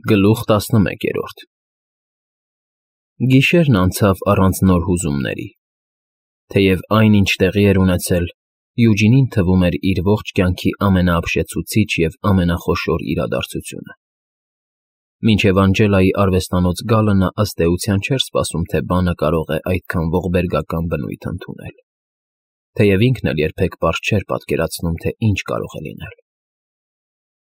Գլուխ 11 Գիշերն անցավ առանց նոր հուզումների, թեև այն, ինչ տեղի էր ունեցել, Յուջինին թվում էր իր ողջ կյանքի ամենաապշեցուցիչ և ամենախոշոր իրադարձությունը։ Մինչև Անջելայի արվեստանոց գալը նա ըստ էության չէր սպասում, թե բանը կարող է այդքան ողբերգական բնույթ ընդունել, թեև ինքն էլ երբեք պարզ չէր պատկերացնում, թե ինչ կարող է լինել։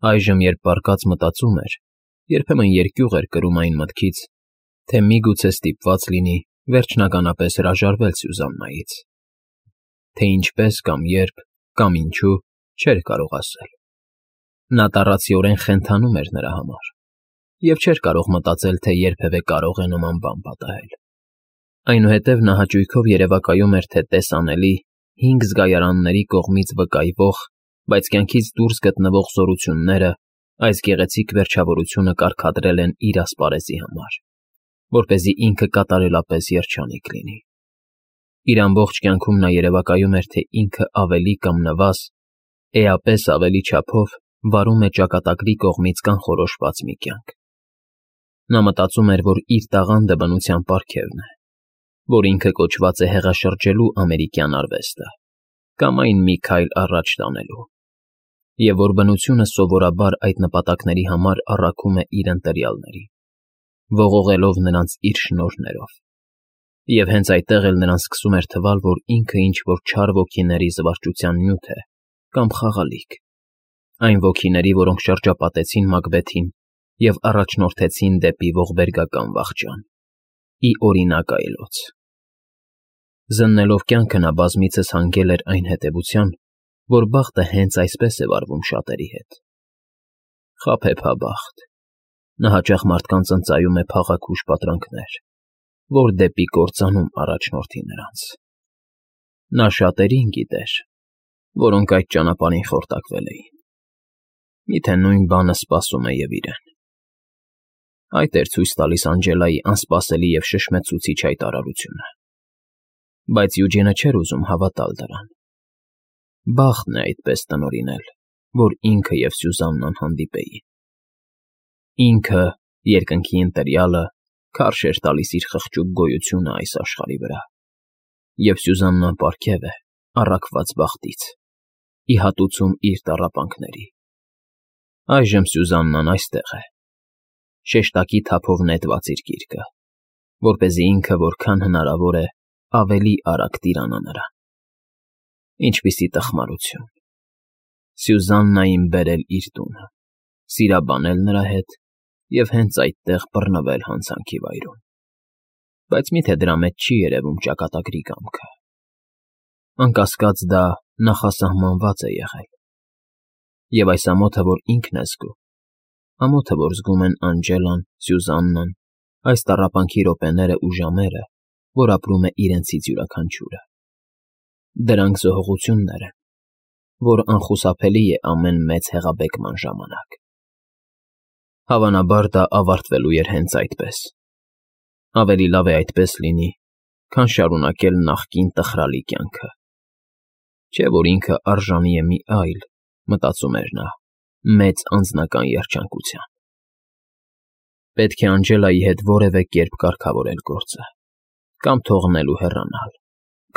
Այժմ, երբ պառկած մտածում էր, երբեմն երկյուղ էր կրում այն մտքից, թե միգուցե ստիպված լինի վերջնականապես հրաժարվել Սյուզաննայից, թե ինչպես կամ երբ կամ ինչու չէր կարող ասել։ Նա տառացիորեն խենթանում էր նրա համար և չէր կարող մտածել, թե երբևէ կարող է նման բան պատահել։ Այնուհետև նա հաճույքով երևակայում էր, թե տեսանելի 5 զգայարանների կողմից վկայվող, բայց կյանքից դուրս գտնվող զորությունները այս գեղեցիկ վերջավորությունը կարգադրել են իր ասպարեզի համար, որպեսզի ինքը կատարելապես երջանիկ լինի։ Իր ամբողջ կյանքում նա երևակայում էր, թե ինքը ավելի կամ նվազ, էապես ավելի չափով վարում է ճակատագրի կողմից կանխորոշված մի կյանք։ Նա մտածում էր, որ իր տաղանդը բնության պարգևն է, որ ինքը կոչված է հեղաշրջելու ամերիկյան արվեստը կամ այն մի քայլ առաջ տանելու, և որ բնությունը սովորաբար այդ նպատակների համար առաքում է իր ընտրյալներին, ողողելով նրանց իր շնորհներով, և հենց այդտեղ էլ նրան սկսում էր թվալ, որ ինքը ինչ-որ չար ոգիների զվարճության նյութ է կամ խաղալիք, այն ոգիների, որոնք շրջապատեցին Մակբեթին և առաջնորդեցին դեպի ողբերգական վախճան, ի օրինակ այլոց։ Զննելով կյանքը նա բազմիցս հանգել էր այն հետևության, որ բախտը հենց այսպես է վարվում շատերի հետ։ Խաբեբաբախտ, նա հաճախ մարդկանց ընծայում է փաղաքուշ պատրանքներ, որ դեպի կործանում առաջնորդի նրանց։ Նա շատերին գիտեր, որոնք այդ ճանապարհին խորտակվել էին։ Միթե նույն բանը սպասում է և իրեն։ Այդ էր ցույց տալիս Անջելայի անսպասելի և շշմեցուցիչ հայտարարությունը։ Բայց Յուջինը չէր ուզում հավատալ դրան։ Բախտն է այդպես տնօրինել, որ ինքը և Սյուզաննան հանդիպեին։ Ինքը, երկնքի ընտրյալը, քարշ էր տալիս իր խղճուկ գոյությունը այս աշխարհի վրա, և Սյուզաննան պարգև է առաքված բախտից, ի հատուցում իր տառապանքների։ Այժմ Սյուզաննան այստեղ է, շեշտակի թափով նետված իր գիրկը, որպեսզի ինքը որքան հնարավոր է ավելի արագ տիրանա նրան։ Ինչպիսի տխմարություն… Սյուզաննային բերել իր տունը, սիրաբանել նրա հետ և հենց այդտեղ բռնվել հանցանքի վայրում։ Բայց միթե դրա մեջ չի երևում ճակատագրի կամքը։ Անկասկած դա նախասահմանված է եղել։ Եվ այս ամոթը, որ ինքն է զգում, ամոթը, որ զգում են Անջելան, Սյուզաննան, այս տառապանքի րոպեները ու ժամերը, որ ապրում է իրենցից յուրաքանչյուրը, դրանք զոհողություններ են, որ անխուսափելի է ամեն մեծ հեղաբեկման ժամանակ։ Հավանաբար դա ավարտվելու էր հենց այդպես։ Ավելի լավ է այդպես լինի, քան շարունակել նախկին տխրալի կյանքը։ Չէ՞ որ ինքը արժանի է մի այլ, մտածում էր նա, մեծ անձնական երջանկության։ Պետք է Անջելայի հետ որևէ կերպ կարգավորել գործը, կամ թողնել ու հեռանալ,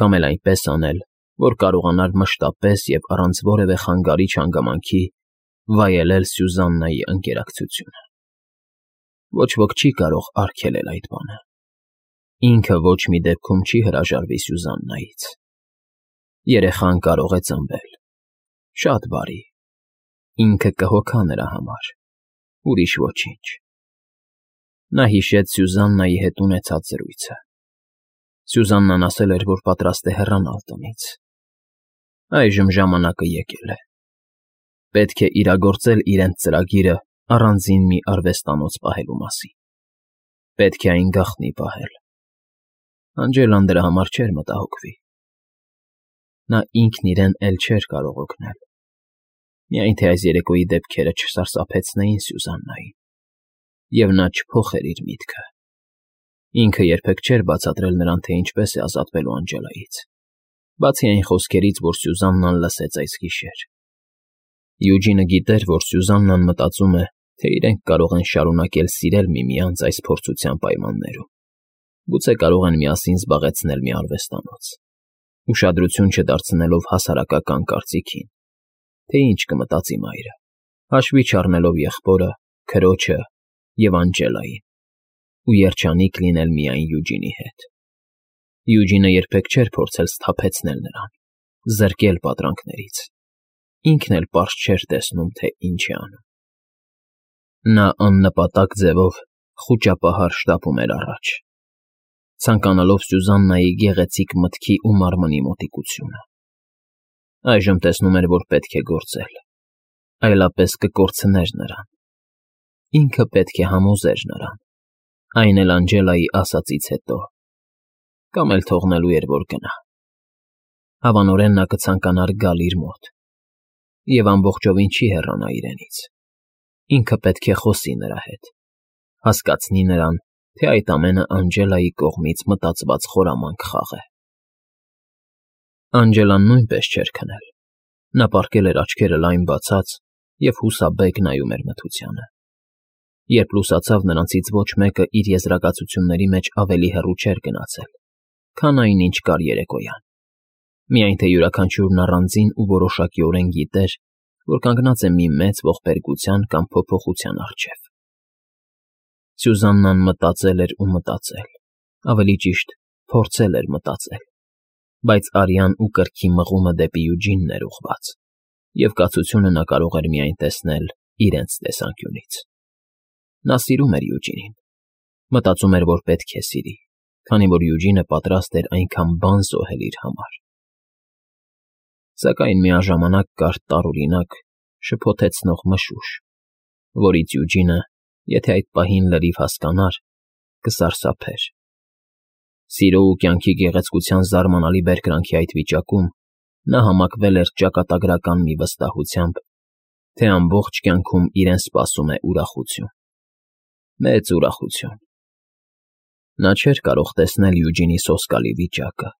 կամ էլ այնպես անել, որ կարողանար մշտապես և առանց որևէ խանգարիչ հանգամանքի վայելել Սյուզաննայի ընկերակցությունը։ Ոչ ոք չի կարող արգելել այդ բանը։ Ինքը ոչ մի դեպքում չի հրաժարվի Սյուզաննայից։ Երեխան կարող է ծնվել, շատ բարի, ինքը կհոգա նրա համար, ուրիշ ոչինչ։ Նա հիշեց Սյուզաննայի հետ ունեցած զրույցը։ Սյուզաննան ասել էր, որ պատրաստ է հեռանալ տնից։ Այժմ ժամանակը եկել է։ Պետք է իրագործել իրենց ծրագիրը առանձին մի արվեստանոց պահելու մասին։ Պետք է այն գաղտնի պահել։ Անջելան դրա համար չէր մտահոգվի։ Նա ինքն իրեն էլ չէր կարող օգնել։ Միայն թե այս երեկոյի դեպքերը չսարսափեցնեին Սյուզաննային, և նա չփոխեր իր միտքը։ Ինքը երբեք չէր բացատրել նրան, թե ինչպես է ազատվելու Անջելայից, բացի այն խոսքերից, որ Սյուզաննան լսեց այս գիշեր։ Յուջինը գիտեր, որ Սյուզաննան մտածում է, թե իրենք կարող են շարունակել սիրել միմյանց այս փորձության պայմաններում, գուցե կարող են միասին զբաղեցնել մի արվեստանոց, ուշադրություն չդարձնելով հասարակական կարծիքին, թե ինչ կմտածի մայրը, հաշվի չառնելով եղբորը, քրոջը և Անջելային, ու երջանիկ լինել միայն Յուջինի հետ։ Յուջինը երբեք չէր փորձել սթափեցնել նրան, զրկել պատրանքներից, ինքն էլ պարզ չէր տեսնում, թե ինչ է անում։ Նա աննպատակ ձևով խուճապահար շտապում էր առաջ, ցանկանալով Սյուզաննայի գեղեցիկ մտքի ու մարմնի մոտիկությունը։ Այժմ տեսնում էր, որ պետք է գործել, այլապես կկորցներ նրան։ Ինքը պետք է համոզեր նրան, այն էլ Անջելայի ասածից հետո, կամ էլ թողնելու էր, որ գնա։ Հավանորեն նա կցանկանար գալ իր մոտ, և ամբողջովին չի հեռանա իրենից։ Ինքը պետք է խոսի նրա հետ, հասկացնի նրան, թե այդ ամենը Անջելայի կողմից մտածված խորամանկ խաղ է։ Անջելան նույնպես չէր քնել։ Նա պառկել էր աչքերը լայն բացած և հուսաբեկ նայում էր մթությանը։ Երբ լուսացավ, նրանցից ոչ մեկը իր եզրակացությունների մեջ ավելի հեռու չէր գնացել, քան այն, ինչ կար երեկոյան։ Միայն թե յուրաքանչյուրն առանձին ու որոշակիորեն գիտեր, որ կանգնած է մի մեծ ողբերգության կամ փոփոխության առջև։ Սյուզաննան մտածել էր ու մտածել, ավելի ճիշտ, փորձել էր մտածել, բայց արյան ու կրքի մղումը դեպի Յուջինն էր ուղղված, և կացությունը նա կարող էր միայն տեսնել իրենց տեսանկյունից։ Նա սիրում էր Յուջինին, մտածում էր, որ պետք է սիրի, քանի որ Յուջինը պատրաստ էր այնքան բան զոհել իր համար։ Սակայն միաժամանակ կար տարօրինակ, շփոթեցնող մշուշ, որից Յուջինը, եթե այդ պահին լրիվ հասկանար, կսարսափեր։ Սիրո ու կյանքի գեղեցկության զարմանալի բերկրանքի այդ վիճակում նա համակվել էր ճակատագրական մի վստահությամբ, թե ամբողջ կյանքում իրեն սպասում է ուրախություն, մեծ ուրախություն։ Նա չէր կարող տեսնել Յուջինի սոսկալի վիճակը,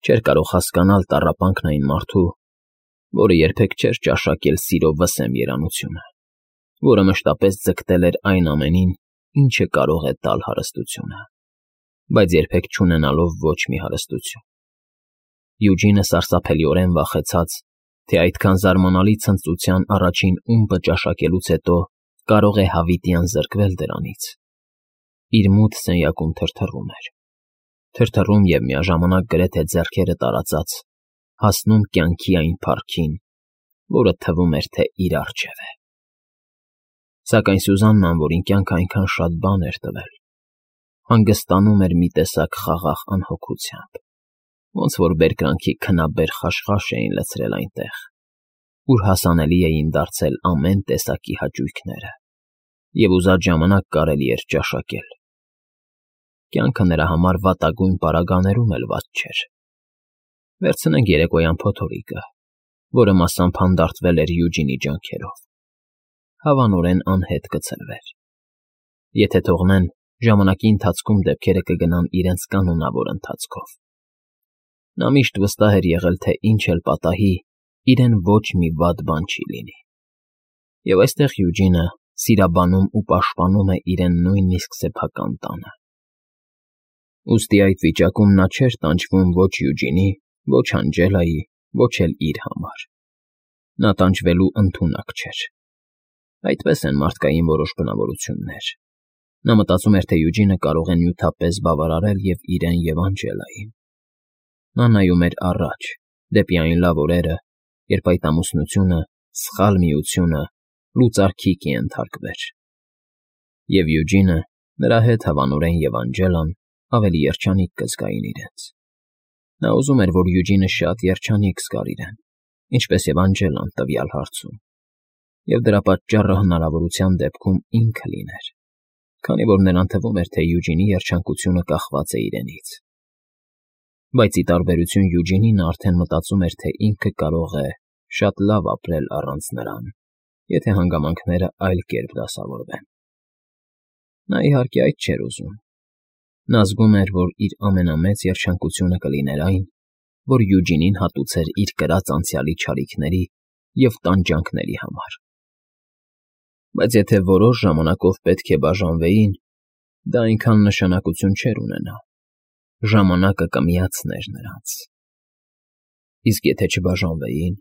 չէր կարող հասկանալ տառապանքն այն մարդու, որը երբեք չէր ճաշակել սիրո վսեմ երանությունը, որը մշտապես ձգտել էր այն ամենին, ինչը կարող է տալ հարստությունը, բայց երբեք չունենալով ոչ մի հարստություն։ Յուջինը սարսափելիորեն վախեցած, թե այդքան զարմանալի ցնծության առաջին ումպը ճաշակելուց հետո կարող է հավիտյան զրկվել դրանից։ Իր մութ սենյակում թրթռում էր, թրթռում և միաժամանակ գրեթե ձեռքերը տարածած, հասնում կյանքի այն փառքին, որը թվում էր, թե իր առջև է։ Սակայն Սյուզաննան, որին կյանքը այնքան շատ բան էր տվել, հանգստանում էր մի տեսակ խաղաղ անհոգությամբ, ոնց որ բերկրանքի քնաբեր խաշխաշ էին լցրել այնտեղ, ուր հասանելի էին դարձել ամեն տեսակի հաճույքները, և ուզած ժամանակ կարելի էր ճաշակել։ Կյանքը նրա համար վատագույն պարագաներում էլ վատ չէր։ Վերցնենք երեկոյան փոթորիկը, որը մասամբ հանդարտվել էր Յուջինի ջանքերով, հավանորեն անհետ կցրվեր։ Եթե թողնեն, ժամանակի ընթացքում դեպքերը կգնան իրենց կանոնավոր ընթացքով։ Նա միշտ վստահ էր եղել, թե ինչ էլ պատահի, իրեն ոչ մի վատ բան չի լինի։ Եվ այստեղ Յուջինը սիրաբանում ու պաշտպանում է իրեն նույնիսկ սեփական տանը։ Ուստի այդ վիճակում նա չէր տանջվում ոչ Յուջինի, ոչ Անջելայի, ոչ էլ իր համար։ Նա տանջվելու ընդունակ չէր։ Այդպես են մարդկային որոշ բնավորություններ։ Նա մտածում էր, թե Յուջինը կարող է նյութապես բավարարել և իրեն, և Անջելային։ Նա նայում էր առաջ, դեպի այն լավ օրերը, երբ այդ ամուսնությունը, սխալ միությունը լուծարքի կենթարկվեր։ Եվ Յուջինը, նրա հետ հավանորեն և Անջելան ավելի երջանիկ կզգային իրենց։ Նա ուզում էր, որ Յուջինը շատ երջանիկ զգար իրեն, ինչպես և Անջելան տվյալ հարցում, և դրա պատճառը հնարավորության դեպքում ինքը լիներ, քանի որ նրան թվում էր, թե Յուջինի երջանկությունը կախված է իրենից։ Բայց ի տարբերություն Յուջինի նա արդեն մտածում էր, թե ինքը կարող է շատ լավ ապրել առանց նրան, եթե հանգամանքները այլ կերպ դասավորվեն։ Նա իհարկե այդ չէր ուզում։ Նա զգում էր, որ իր ամենամեծ երջանկությունը կլիներ այն, որ Յուջինին հատուցեր իր կրած անցյալի չարիքների և տանջանքների համար։ Բայց եթե որոշ ժամանակով պետք է բաժանվեին, դա այնքան նշանակություն չէր ունենա. ժամանակը կմիացներ նրանց։ Իսկ եթե չբաժանվեին,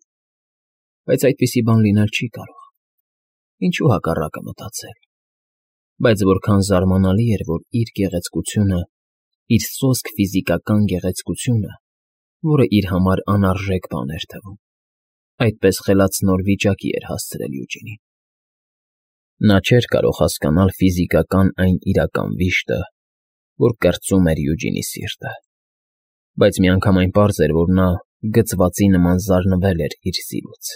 բայց այդպիսի բան լինել չի կարող, ինչու հակառակը մտածել, բայց որքան զարմանալի էր, որ իր գեղեցկությունը, իր սոսկ ֆիզիկական գեղեցկությունը, որը իր համար անարժեք բան էր թվում, այդպես խելացնոր վիճակի էր հասցրել Յուջինին։ Նա չէր կարող հասկանալ ֆիզիկական այն իրական վիշտը, որ կրծում էր Յուջինի սիրտը, բայց միանգամայն պարզ էր, որ նա գծվածի նման զարնվել էր իր սիրուց։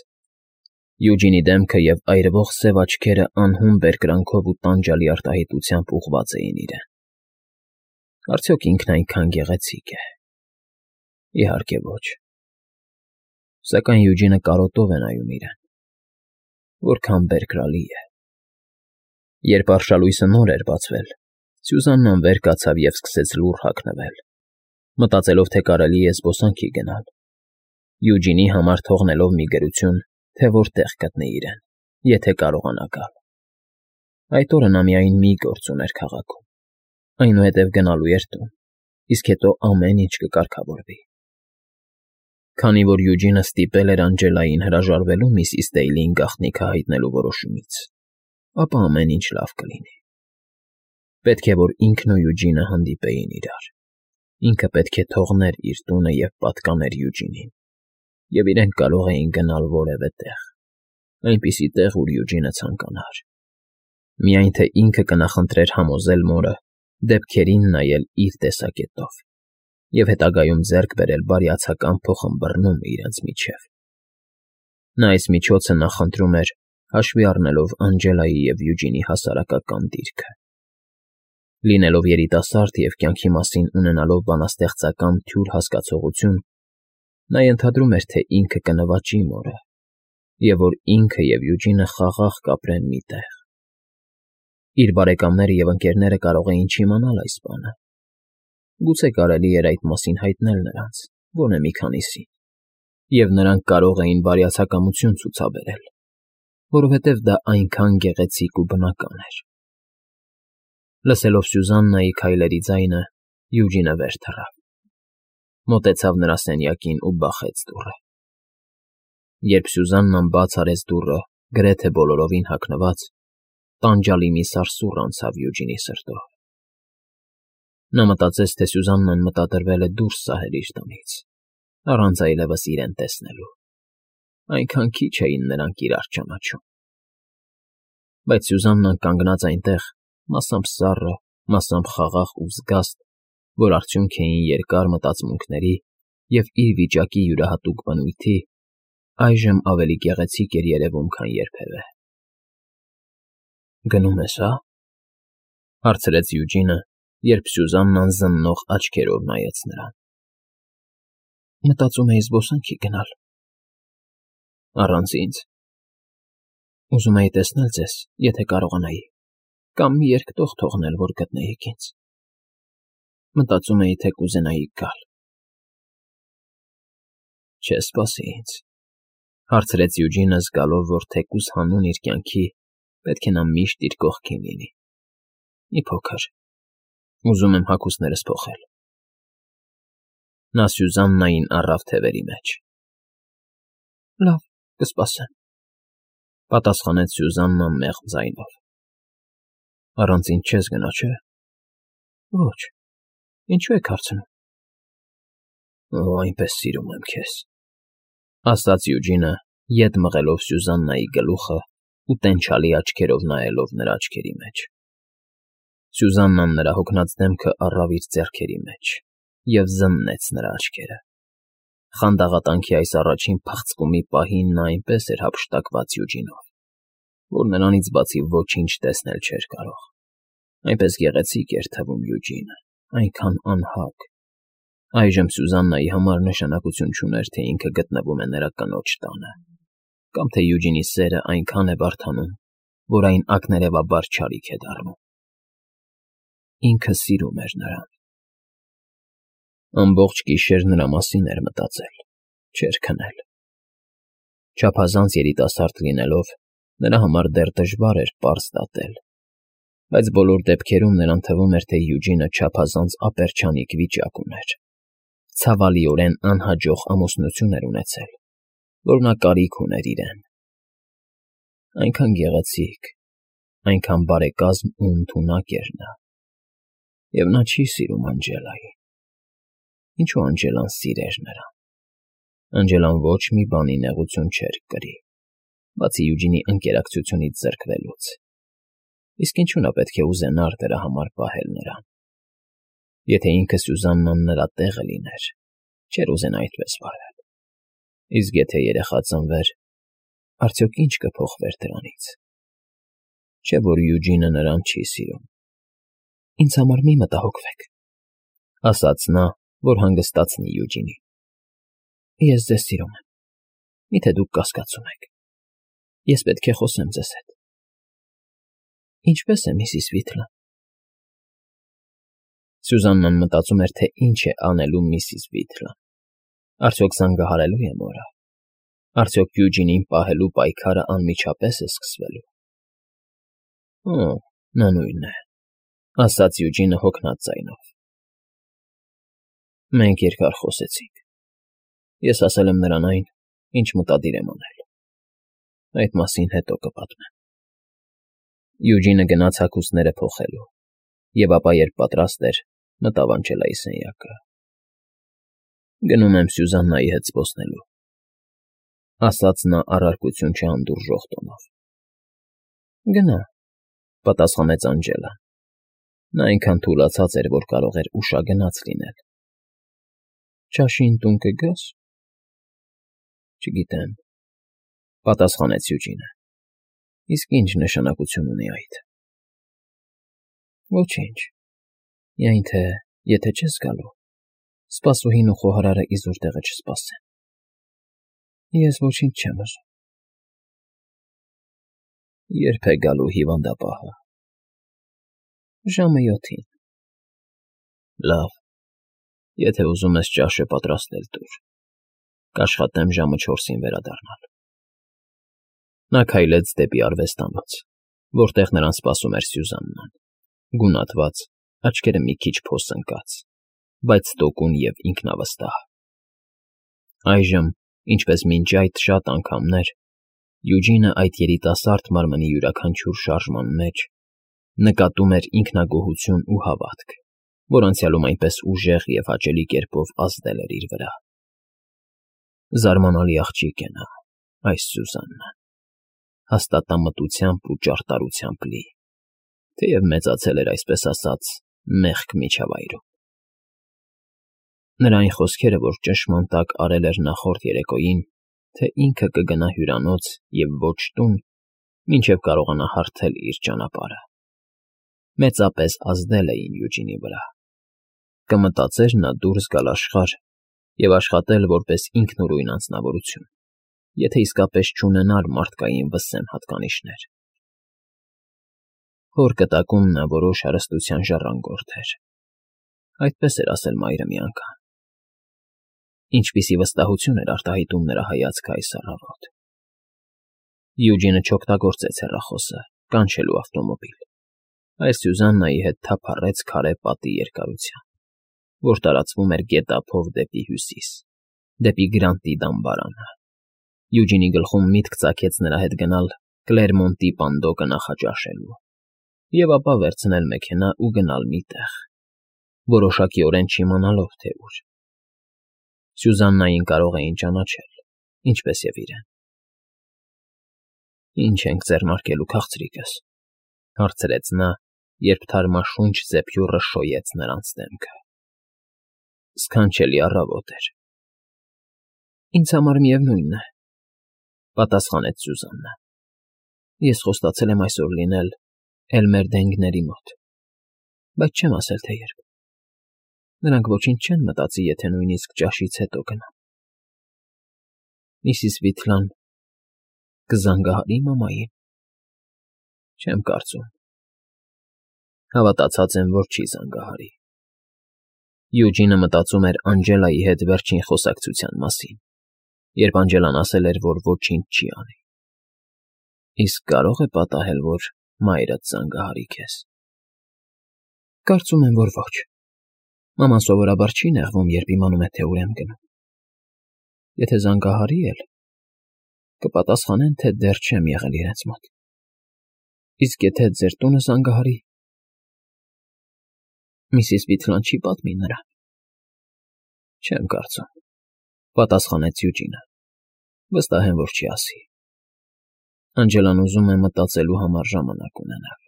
Յուջինի դեմքը և այրվող սև աչքերը անհուն բերկրանքով ու տանջալի արտահայտությամբ ուղղված էին իրեն։ Արդյոք ինքն այնքան գեղեցիկ է։ Իհարկե ոչ։ Սակայն Յուջինը կարոտով է նայում իրեն։ Որքան բերկրալի է։ Երբ արշալույսը նոր էր բացվել, Սյուզաննան վեր կացավ և սկսեց լուռ հագնվել, մտածելով, թե կարելի է զբոսանքի գնալ, Յուջինի համար թողնելով մի գրություն, թե որտեղ գտնի իրեն, եթե կարողանա գալ։ Այդ օրը նա միայն մի գործ ուներ քաղաքում, այնուհետև գնալու էր տուն, իսկ հետո ամեն ինչ կկարգավորվի։ Քանի որ Յուջինը ստիպել էր Անջելային հրաժարվելու միսիս Դեյլին գաղտնիքը հայտնելու որոշումից, ապա ամեն ինչ լավ կլինի։ Պետք է, որ ինքն ու Յուջինը հանդիպեին իրար։ Ինքը պետք է թողներ իր տունը և պատկաներ Յուջինին, և իրենք կարող էին գնալ որևէ տեղ, այնպիսի տեղ, ուր Յուջինը ցանկանար։ Միայն թե ինքը կնախընտրեր համոզել մորը դեպքերին նայել իր տեսակետով և հետագայում ձեռք բերել բարյացակամ փոխըմբռնում իրենց միջև։ Նա այս միջոցը նախընտրում էր, հաշվի առնելով Անջելայի և Յուջինի հասարակական դիրքը։ Լինելով երիտասարդ և կյանքի մասին ունենալով բանաստեղծական թյուր հասկացողություն, նա ենթադրում էր, թե ինքը կնվաճի մորը, և որ ինքը և Յուջինը խաղաղ կապրեն մի տեղ։ Իր բարեկամները և ընկերները կարող էին չիմանալ այս բանը։ Գուցե կարելի էր այդ մասին հայտնել նրանց, գոնե մի քանիսին, և նրանք կարող էին բարյացակամություն ցուցաբերել, որովհետև դա այնքան գեղեցիկ ու բնական էր։ Լսելով Սյուզաննայի քայլերի ձայնը, Յուջինը վեր թռավ, մոտեցավ նրա սենյակին ու բախեց դուռը։ Երբ Սյուզաննան բաց արեց դուռը, գրեթե բոլորովին հագնված, տանջալի մի սարսուռ անցավ Յուջինի սրտով։ Նա մտածեց, թե Սյուզաննան մտադրվել է դուրս սահել իր տնից, առանց այլևս իրեն տեսնելու։ Այնքան քիչ էին նրանք իրար ճանաչում։ Բայց Սյուզաննան կանգնած այնտեղ, մասամբ սառը, մասամբ խաղաղ ու զգաստ, որ արդյունք էին երկար մտածմունքների և իր վիճակի յուրահատուկ բնույթի, այժմ ավելի գեղեցիկ էր երևում, քան երբևէ։ «Գնում ես, հա՞», հարցրեց Յուջինը, երբ Սյուզաննան զննող աչքերով նայեց նրան։ Մտածում էի զբոսանքի գնալ։ Առանց ինձ։ Ուզում էի տեսնել ձեզ, եթե կարողանայի, կամ մի երկտող թողնել, որ գտնեիք ինձ։ Մտածում էի, թե կուզենայիք գալ։ Չես սպասի ինձ, հարցրեց Յուջինը, զգալով, որ թեկուզ հանուն իր կյանքի պետք է նա միշտ իր կողքին լինի։ Մի փոքր, ուզում եմ հագուստներս փոխել։ Նա Սյուզաննային առավ թևերի մեջ։ Լավ, կսպասեմ, պատասխանեց Սյուզաննան մեղմ ձայնով։ Առանց ինձ չես գնա, չէ՞։ Ոչ, ինչու եք հարցնում։ Օ, այնպես սիրում եմ քեզ, ասաց Յուջինը, ետ մղելով Սյուզաննայի գլուխը ու տենչալի աչքերով նայելով նրա աչքերի մեջ։ Սյուզաննան նրա հոգնած դեմքը առավ իր ձեռքերի մեջ և զննեց նրա աչքերը։ Խանդաղատանքի այս առաջին փախցկումի պահին նա այնպես էր հափշտակված Յուջինով, որ նրանից բացի ոչինչ տեսնել չէր կարող։ Այնպես գեղեցիկ էր թվում Յուջինը, այնքան անհագ։ Այժմ Սյուզաննայի համար նշանակություն չուներ, թե ինքը գտնվում է նրա կնոջ տանը, կամ թե Յուջինի սերը այնքան է բարդանում, որ այն ակներևաբար չարիք է դառնում։ Ինքը սիրում էր նրան։ Ամբողջ գիշեր նրա մասին էր մտածել, չէր քնել։ Չափազանց երիտասարդ լինելով, Նրա համար դեռ դժվար էր պարզ դատել, բայց բոլոր դեպքերում նրան թվում էր, թե Յուջինը չափազանց ապերչանիկ վիճակ ուներ. ցավալիորեն անհաջող ամուսնություն էր ունեցել, որ նա կարիք ուներ իրեն. այնքան գեղեցիկ, այնքան բարեկազմ ու ընդունակ էր նա, և նա չի սիրում Անջելային։ Ինչու Անջելան սիրեր նրան։ Անջելան ոչ մի բանի նեղություն չէր կրի, բացի Յուջինի ընկերակցությունից զրկվելուց, իսկ ինչու նա պետք է ուզենար դրա համար պահել նրան։ Եթե ինքը Սյուզաննան նրա տեղը լիներ, չէր ուզենա այդպես վարվել, իսկ եթե երեխա ծնվեր, արդյոք ինչ կփոխվեր դրանից։ Չէ՞ որ Յուջինը նրան չի սիրում։ Ինձ համար մի մտահոգվեք, ասաց նա, որ հանգստացնի Յուջինին։ Ես ձեզ սիրում եմ, միթե դուք կասկածում եք։ Ես պետք է խոսեմ ձեզ հետ։ Ինչպե՞ս է միսիս Վիթլան։ Սյուզաննան մտածում էր, թե ինչ է անելու միսիս Վիթլան։ Արդյոք զանգահարելու է մորը։ Արդյոք Յուջինին պահելու պայքարը անմիջապես է սկսվելու։ Օ, նա նույնն է, ասաց Յուջինը հոգնած ձայնով։ Մենք երկար խոսեցինք։ Ես ասել եմ նրան այն, ինչ մտադիր եմ անել։ Այդ մասին հետո կպատմեմ։ Յուջինը գնաց հագուստները փոխելու, և ապա, երբ պատրաստ էր, մտավ Անջելայի սենյակը։ Գնում եմ Սյուզաննայի հետ զբոսնելու, ասաց նա առարկություն չհանդուրժող տոնով։ Գնա, պատասխանեց Անջելան։ Նա այնքան թուլացած էր, որ կարող էր ուշագնաց լինել։ Ճաշին տուն կգաս։ Չգիտեմ, պատասխանեց Յուջինը։ Իսկ ինչ նշանակություն ունի այդ։ Ոչինչ, միայն թե եթե չես գալու, սպասուհին ու խոհարարը իզուր տեղը չսպասեն։ Ես ոչինչ չեմ ուզում։ Երբ է գալու հիվանդապահը։ Ժամը 7-ին։ Լավ, եթե ուզում ես ճաշը պատրաստել տուր, կաշխատեմ ժամը 4-ին վերադառնալ։ Նա քայլեց դեպի արվեստանոց, որտեղ նրան սպասում էր Սյուզաննան, գունատված, աչքերը մի քիչ փոսընկած, բայց տոկուն և ինքնավստահ։ Այժմ, ինչպես մինչ այդ շատ անգամներ, Յուջինը այդ երիտասարդ մարմնի յուրաքանչյուր շարժման մեջ նկատում էր ինքնագոհություն ու հավատք, որ անցյալում այնպես ուժեղ և հաճելի կերպով ազդել էր իր վրա։ Զարմանալի աղջիկ է նա, այս Սյուզաննան, հաստատամտությամբ ու ճարտարությամբ լի, թեև մեծացել էր, այսպես ասած, մեղք միջավայրում։ Նրա այն խոսքերը, որ ճնշման տակ արել էր նախորդ երեկոյին, թե ինքը կգնա հյուրանոց և ոչ տուն, մինչև կարողանա հարթել իր ճանապարհը, մեծապես ազդել էին Յուջինի վրա։ Կմտածեր նա դուրս գալ աշխարհ և աշխատել որպես ինքնուրույն անձնավորություն, եթե իսկապես չունենար մարդկային վսեմ հատկանիշներ։ Հոր կտակում նա որոշ հարստության ժառանգորդ էր, այդպես էր ասել մայրը մի անգամ։ Ինչպիսի վստահություն էր արտահայտում նրա հայացքը այս առավոտ։ Յուջինը չօգտագործեց հեռախոսը, կանչելու ավտոմոբիլ, այլ Սյուզաննայի հետ թափառեց քարե պատի երկարությամբ, որ տարածվում էր գետափով դեպի հյուսիս, դեպի Գրանտի դամբարանը։ Յուջինի գլխում միտք ծագեց նրա հետ գնալ Կլերմոնտի պանդոկը նախաճաշելու, և ապա վերցնել մեքենա ու գնալ մի տեղ, որոշակիորեն չիմանալով, թե ուր։ Սյուզաննային կարող էին ճանաչել, ինչպես և իրեն։ Ինչ ենք ձեռնարկելու, քաղցրիկս, հարցրեց նա, երբ թարմաշունչ զեփյուռը շոյեց նրանց դեմքը։ Սքանչելի առավոտ էր։ Ինձ համար միևնույնն է, պատասխանեց Սյուզաննը։ Ես խոստացել եմ այսօր լինել Էլմերդենգների մոտ, բայց չեմ ասել, թե երբ։ Նրանք ոչինչ չեն մտածի, եթե նույնիսկ ճաշից հետո գնամ։ Միսիս Վիթլան կզանգահարի մամային։ Չեմ կարծում։ Հավատացած եմ, որ չի զանգահարի։ Յուջինը մտածում էր Անջելայի հետ վերջին խոսակցության մասին, երբ Անջելան ասել էր, որ ոչինչ չի անի։ Իսկ կարո՞ղ է պատահել, որ մայրդ զանգահարի քեզ։ Կարծում եմ, որ ոչ։ Մաման սովորաբար չի նեղվում, երբ իմանում է, թե ուր եմ գնում։ Եթե զանգահարի էլ, կպատասխանեն, թե դեռ չեմ եղել իրենց մոտ։ Իսկ եթե ձեր տունը զանգահարի… Միսիս Բիթլան չի պատմի նրան։ Չեմ կարծում, պատասխանեց Յուջինը։ Վստահ եմ, որ չի ասի։ Անջելան ուզում է մտածելու համար ժամանակ ունենալ։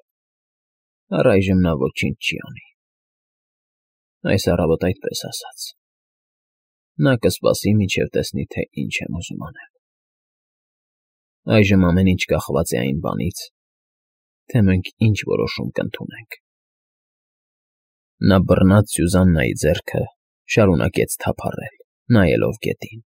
Առայժմ նա ոչինչ չի անի։ Այս առավոտ այդպես ասաց։ Նա կսպասի, մինչև տեսնի, թե ինչ եմ ուզում անել։ Այժմ ամեն ինչ կախված է այն բանից, թե մենք ինչ որոշում կընդունենք։ Նա բռնած Սյուզաննայի ձեռքը շարունակեց թափառել, նայելով գետին։